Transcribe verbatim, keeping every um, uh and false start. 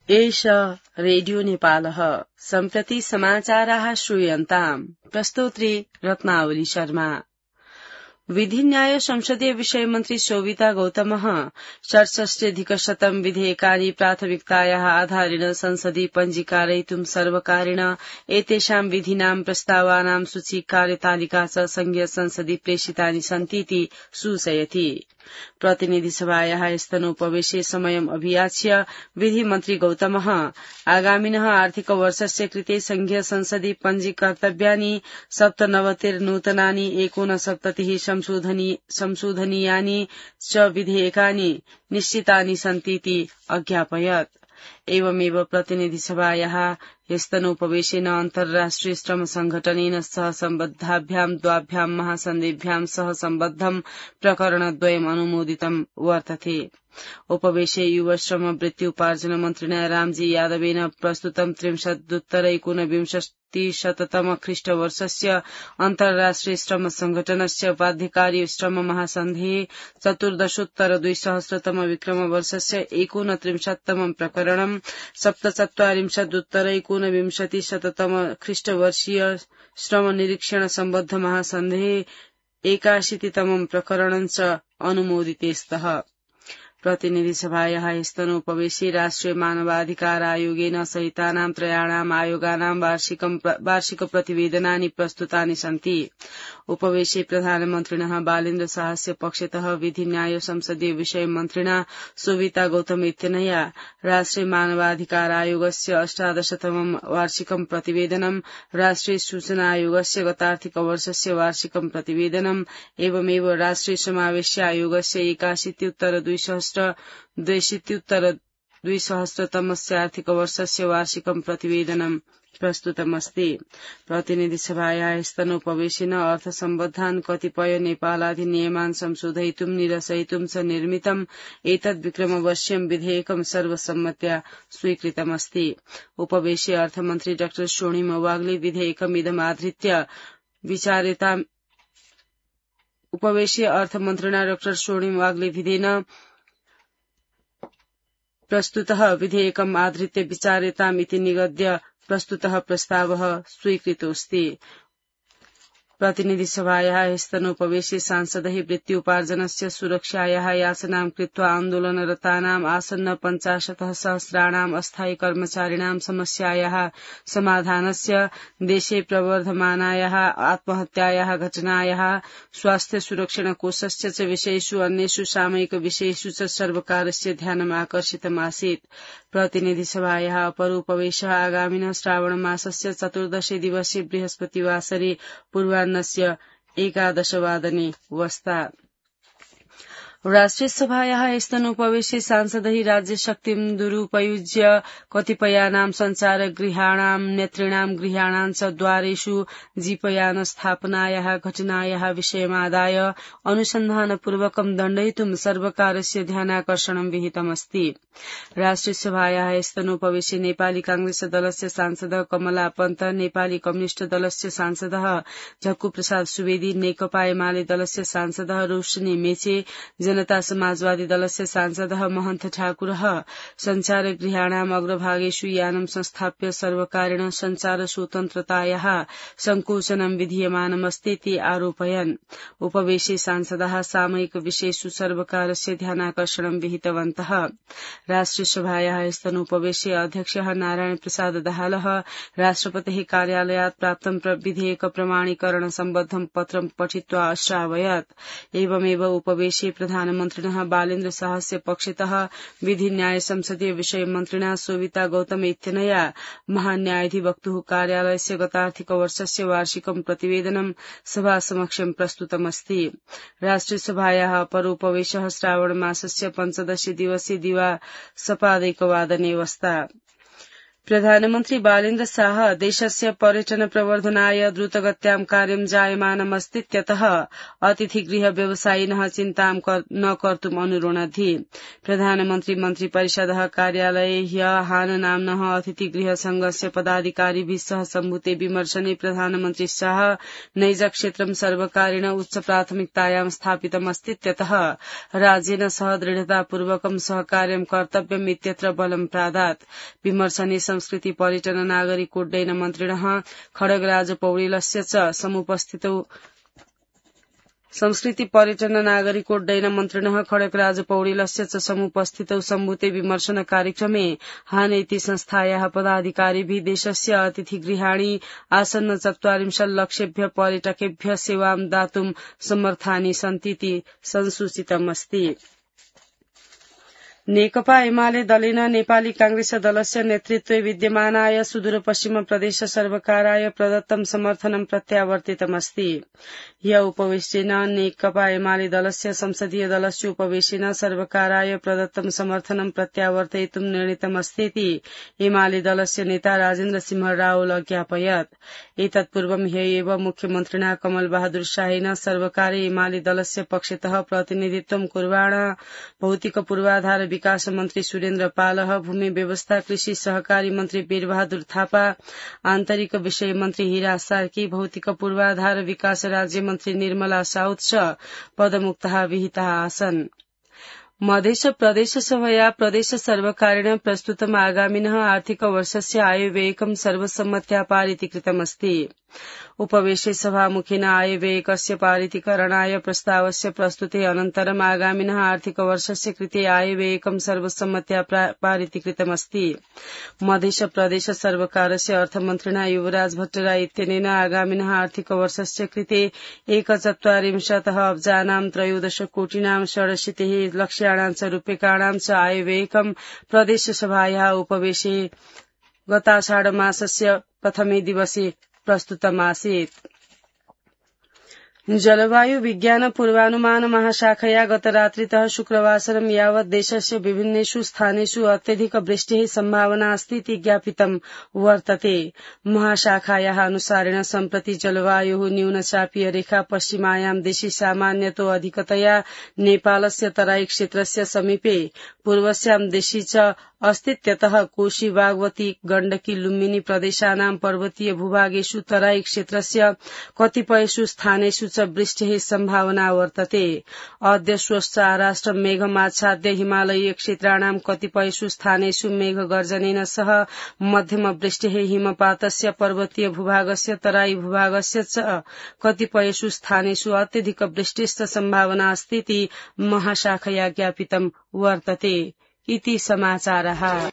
एष रेडियो नेपालः सम्प्रति समाचाराः श्रूयन्ताम्। प्रस्तोत्री रत्नावली शर्मा। विधि न्याय संसदीय विषय मन्त्री शोभिता गौतमः षट्षष्ट्यधिकशतम् विधेयकानि प्राथमिकतायाः आधारेण संसदि पञ्जीकारयितुं सर्वकारेण एतेषां विधीनां प्रस्तावानां सूची कार्यतालिका च संघीय संसदि प्रेषितानि सन्तीति सूचयति। प्रतिनिधि सभायाः स्तनोपवेशे समयम् अभियाच्य विधिमन्त्री गौतमः आगामिनः आर्थिक वर्षस्य कृते संघीय संसदि पञ्जीकर्तव्यानि सप्तनवतिर्नूतनानि एकोनसप्ततिः संशोधनीयानि च विधेयकानि निश्चितानि सन्तीति अज्ञापयत्। एवमेव प्रतिनिधि सभायाः स्तनोपवेशेन अन्तर्राष्ट्रिय श्रम संघटनेन सह सम्बद्धाभ्यां द्वाभ्यां महासन्धिभ्यां सह सम्बद्धं प्रकरणद्वयम् अनुमोदितं वर्तते। उपवेशे युव श्रम वृत्त्युपार्जन मन्त्रिणा रामजी यादवेन प्रस्तुतं त्रिंशदुत्तरैकोनविंशतिशततम ख्रीष्टवर्षस्य अन्तर्राष्ट्रिय श्रम संघटनस्य बाध्यकारी श्रम महासन्धेः चतुर्दशोत्तर द्विसहस्रतम विक्रमवर्षस्य एकोनत्रिंशत्तमं प्रकरणं सप्तचत्वारिंशदुत्तरैकोनविंशतिशततम ख्रीष्टवर्षीय श्रम निरीक्षण सम्बद्ध महासन्धेः एकाशीतितमं प्रकरणं च अनुमोदिते स्तः। प्रतिनिधि सभायाः स्तनोपवेशे राष्ट्रिय मानवाधिकार आयोगेन सहितानां त्रयाणाम् आयोगानां वार्षिक प्रतिवेदनानि प्रस्तुतानि सन्ति। उपवेशे प्रधानमन्त्रिणः बालेन्द्र शाहस्य पक्षतः विधि न्याय संसदीय विषय मन्त्रिणा शोभिता गौतम इत्यनया राष्ट्रिय मानवाधिकार आयोगस्य अष्टादशतमं वार्षिकं प्रतिवेदनं, राष्ट्रिय सूचना आयोगस्य गतार्थिक वर्षस्य वार्षिकं प्रतिवेदनम् एवमेव राष्ट्रिय समावेश आयोगस्य एकाशीत्युत्तर द्विसहस्र द्वयशीत्युत्तर द्विसहस्रतमस्य आर्थिक वर्षस्य वार्षिकं प्रतिवेदनं प्रस्तुतमस्ति। प्रतिनिधि सभायाः स्तनोपवेशेन अर्थसम्बद्धान् कतिपय नेपालाधिनियमान् संशोधयितुं निरसयितुं च निर्मितम् एतद् विक्रमवर्ष्यं विधेयकं सर्वसम्मत्या स्वीकृतमस्ति। उपवेशे अर्थमन्त्री डाक्टर स्वर्णिम वाग्ले विधेयकमिदमाधृत्य विचार्यताम् उपवेशे अर्थमन्त्रिणा डाक्टर स्वर्णिम वाग्ले विधेन प्रस्तुतः विधेयकम् आधृत्य विचार्यताम् इति निगद्य प्रस्तुतः प्रस्तावः स्वीकृतोऽस्ति। प्रतिनिधि सभायाः स्तनोपवेशे सांसदैः वृत्त्युपार्जनस्य सुरक्षायाः याचनां कृत्वा आन्दोलनरतानाम् आसन्न पञ्चाशतः सहस्राणाम् अस्थायी कर्मचारिणां समस्यायाः समाधानस्य, देशे प्रवर्धमानायाः आत्महत्यायाः घटनायाः, स्वास्थ्य सुरक्षण कोषस्य च विषयेषु अन्येषु सामयिक विषयेषु च सर्वकारस्य ध्यानम् आकर्षितमासीत्। प्रतिनिधि सभायाः अपर उपवेशः आगामिनः श्रावण मासस्य चतुर्दशे दिवसे बृहस्पतिवासरे पूर्वाह्नस्य एकादशवादने वस्ता। राष्ट्रिय सभायाः स्तनोपवेशे सांसदैः राज्यशक्तिं दुरुपयुज्य कतिपयानां सञ्चारगृहाणां नेतॄणां गृहाणां च द्वारेषु जीपयान स्थापनायाः घटनायाः विषयमादाय अनुसन्धानपूर्वकं दण्डयितुं सर्वकारस्य ध्यानाकर्षणं विहितमस्ति। राष्ट्रिय सभायाः स्तनोपवेशे नेपाली कांग्रेस दलस्य सांसद कमला पन्त, नेपाली कम्युनिष्ट दलस्य सांसदः झक्कु प्रसाद सुवेदी, नेकपा एमाले दलस्य सांसदः रोशनी मेचे, जनता समाजवादी दलस्य सांसदः महन्त ठाकुरः सञ्चारगृहाणाम् अग्रभागेषु यानं संस्थाप्य सर्वकारेण सञ्चार स्वतन्त्रतायाः संकोचनं विधीयमानमस्तीति आरोपयन्। उपवेशे सांसदः सामयिक विषयेषु सर्वकारस्य ध्यानाकर्षणं विहितवन्तः। राष्ट्रिय सभायाः स्तनोपवेशे अध्यक्षः नारायण प्रसाद दाहालः राष्ट्रपतेः कार्यालयात् प्राप्तं विधेयक प्रमाणीकरण सम्बद्धं पत्रं पठित्वा अश्रावयत्। एवमेव उपवेशे प्रधानमन्त्रिणः बालेन्द्र शाहस्य पक्षतः विधि न्याय संसदीय विषय मन्त्रिणा शोभिता गौतम इत्यनया महान्यायाधिवक्तुः कार्यालयस्य गतार्थिक वर्षस्य वार्षिकं प्रतिवेदनं सभासमक्षं प्रस्तुतमस्ति। राष्ट्रिय सभायाः अपरोपवेशः श्रावण मासस्य पञ्चदशे दिवसे दिवा सपादैकवादने वस्ता। प्रधानमन्त्री बालेन्द्र शाह देशस्य पर्यटन प्रवर्धनाय द्रुतगत्यां कार्यं जायमानमस्तीत्यतः अतिथिगृह व्यवसायिनः चिन्तां न कर्तुम् अनुरोणद्धि प्रधानमन्त्री मन्त्री परिषदः कार्यालये ह्य हान नाम्नः अतिथिगृह संघस्य पदाधिकारिभिः सह सम्भूते विमर्शने प्रधानमन्त्री शाह नैज क्षेत्रं सर्वकारेण उच्च प्राथमिकतायां स्थापितमस्तीत्यतः राज्येन सह दृढतापूर्वकं सहकार्यं कर्तव्यम् इत्यत्र बलं प्रादात् विमर्शने संस्कृति पर्यटन नागरिक उड्डयन मन्त्रिणः खड्गराज पौडेलस्य च समुपस्थितौ संस्कृति पर्यटन नागरिकोड्डयन मन्त्रिणः खड्गराज पौडेलस्य च समुपस्थितौ सम्भूते विमर्शन कार्यक्रमे हानेति संस्थायाः पदाधिकारिभिः देशस्य अतिथिगृहाणि आसन्न चत्वारिंशत् लक्षेभ्य पर्यटकेभ्य सेवां दातुं समर्थानि सन्तीति संसूचितमस्ति। नेकपा एमाले दलेन नेपाली कांग्रेस दलस्य नेतृत्वे विद्यमानाय सुदूरपश्चिम प्रदेश सर्वकाराय प्रदत्तं समर्थनं प्रत्यावर्तितमस्ति। ह्य उपवेशनेन नेकपा एमाले दलस्य संसदीय दलस्य उपवेशनेन सर्वकाराय प्रदत्तं समर्थनं प्रत्यावर्तयितुं निर्णीतमस्तीति एमाले दलस्य नेता राजेन्द्र सिंह रावल ज्ञापयत्। एतत्पूर्वं ह्य एव मुख्यमन्त्रिणा कमल बहादुर शाहेन सर्वकारे एमाले दलस्य पक्षतः प्रतिनिधित्वं कुर्वाण भौतिक पूर्वाधार विकास मन्त्री सुरेन्द्र पालः भूमि व्यवस्था कृषि सहकारी मन्त्री वीरबहादुर थापा आन्तरिक विषय मन्त्री हीरा सार्की भौतिक पूर्वाधार विकास राज्य मन्त्री निर्मला साउद च पदमुक्तः विहिताः आसन्। मध्य प्रदेश सभया प्रदेश सर्वकारेण प्रस्तुतम् आगामिनः आर्थिक वर्षस्य आयव्ययकं सर्वसम्मत्या पारितीकृतमस्ति। उपवेशे सभामुखेन आयव्ययकस्य पारितीकरणाय प्रस्तावस्य प्रस्तुते अनन्तरम् आगामिनः आर्थिक वर्षस्य कृते आयव्ययकं सर्वसम्मत्या पारितीकृतमस्ति। मध्य प्रदेश सर्वकारस्य अर्थमन्त्रिणा युवराज भट्टराय इत्यनेन आगामिनः आर्थिक वर्षस्य कृते एकचत्वारिंशतः अब्जानां त्रयोदश कोटिनां षडशीतिः लक्ष्याणां च रूप्यकाणां च आयव्ययकं प्रदेशसभायाः उपवेशे गताषाढमासस्य प्रथमे दिवसे प्रस्तुतमासीत्। जलवायु विज्ञान पूर्वानुमान महाशाखया गतरात्रितः शुक्रवासरं यावत् देशस्य विभिन्नेषु स्थानेषु अत्यधिक वृष्टेः सम्भावना अस्ति इति ज्ञापितं वर्तते। महाशाखायाः अनुसारेण सम्प्रति जलवायुः न्यूनचापीय रेखा पश्चिमायां दिशि सामान्यतो अधिकतया नेपालस्य तराई क्षेत्रस्य समीपे पूर्वस्यां दिशि च अस्तीत्यतः कोशी बागमती गण्डकी लुम्बिनी प्रदेशानां पर्वतीय भूभागेषु तराई क्षेत्रस्य कतिपयेषु स्थानेषु च वृष्टेः सम्भावना वर्तते। अद्य स्वश्च आराष्ट्र मेघमाच्छाद्य हिमालयीय क्षेत्राणां कतिपयेषु स्थानेषु मेघगर्जनेन सह मध्यम वृष्टेः हिमपातस्य पर्वतीय भूभागस्य तराई भूभागस्य च कतिपयेषु स्थानेषु अत्यधिक वृष्टेश्च सम्भावना अस्ति इति महाशाखया ज्ञापितं वर्तते। इति समाचारः।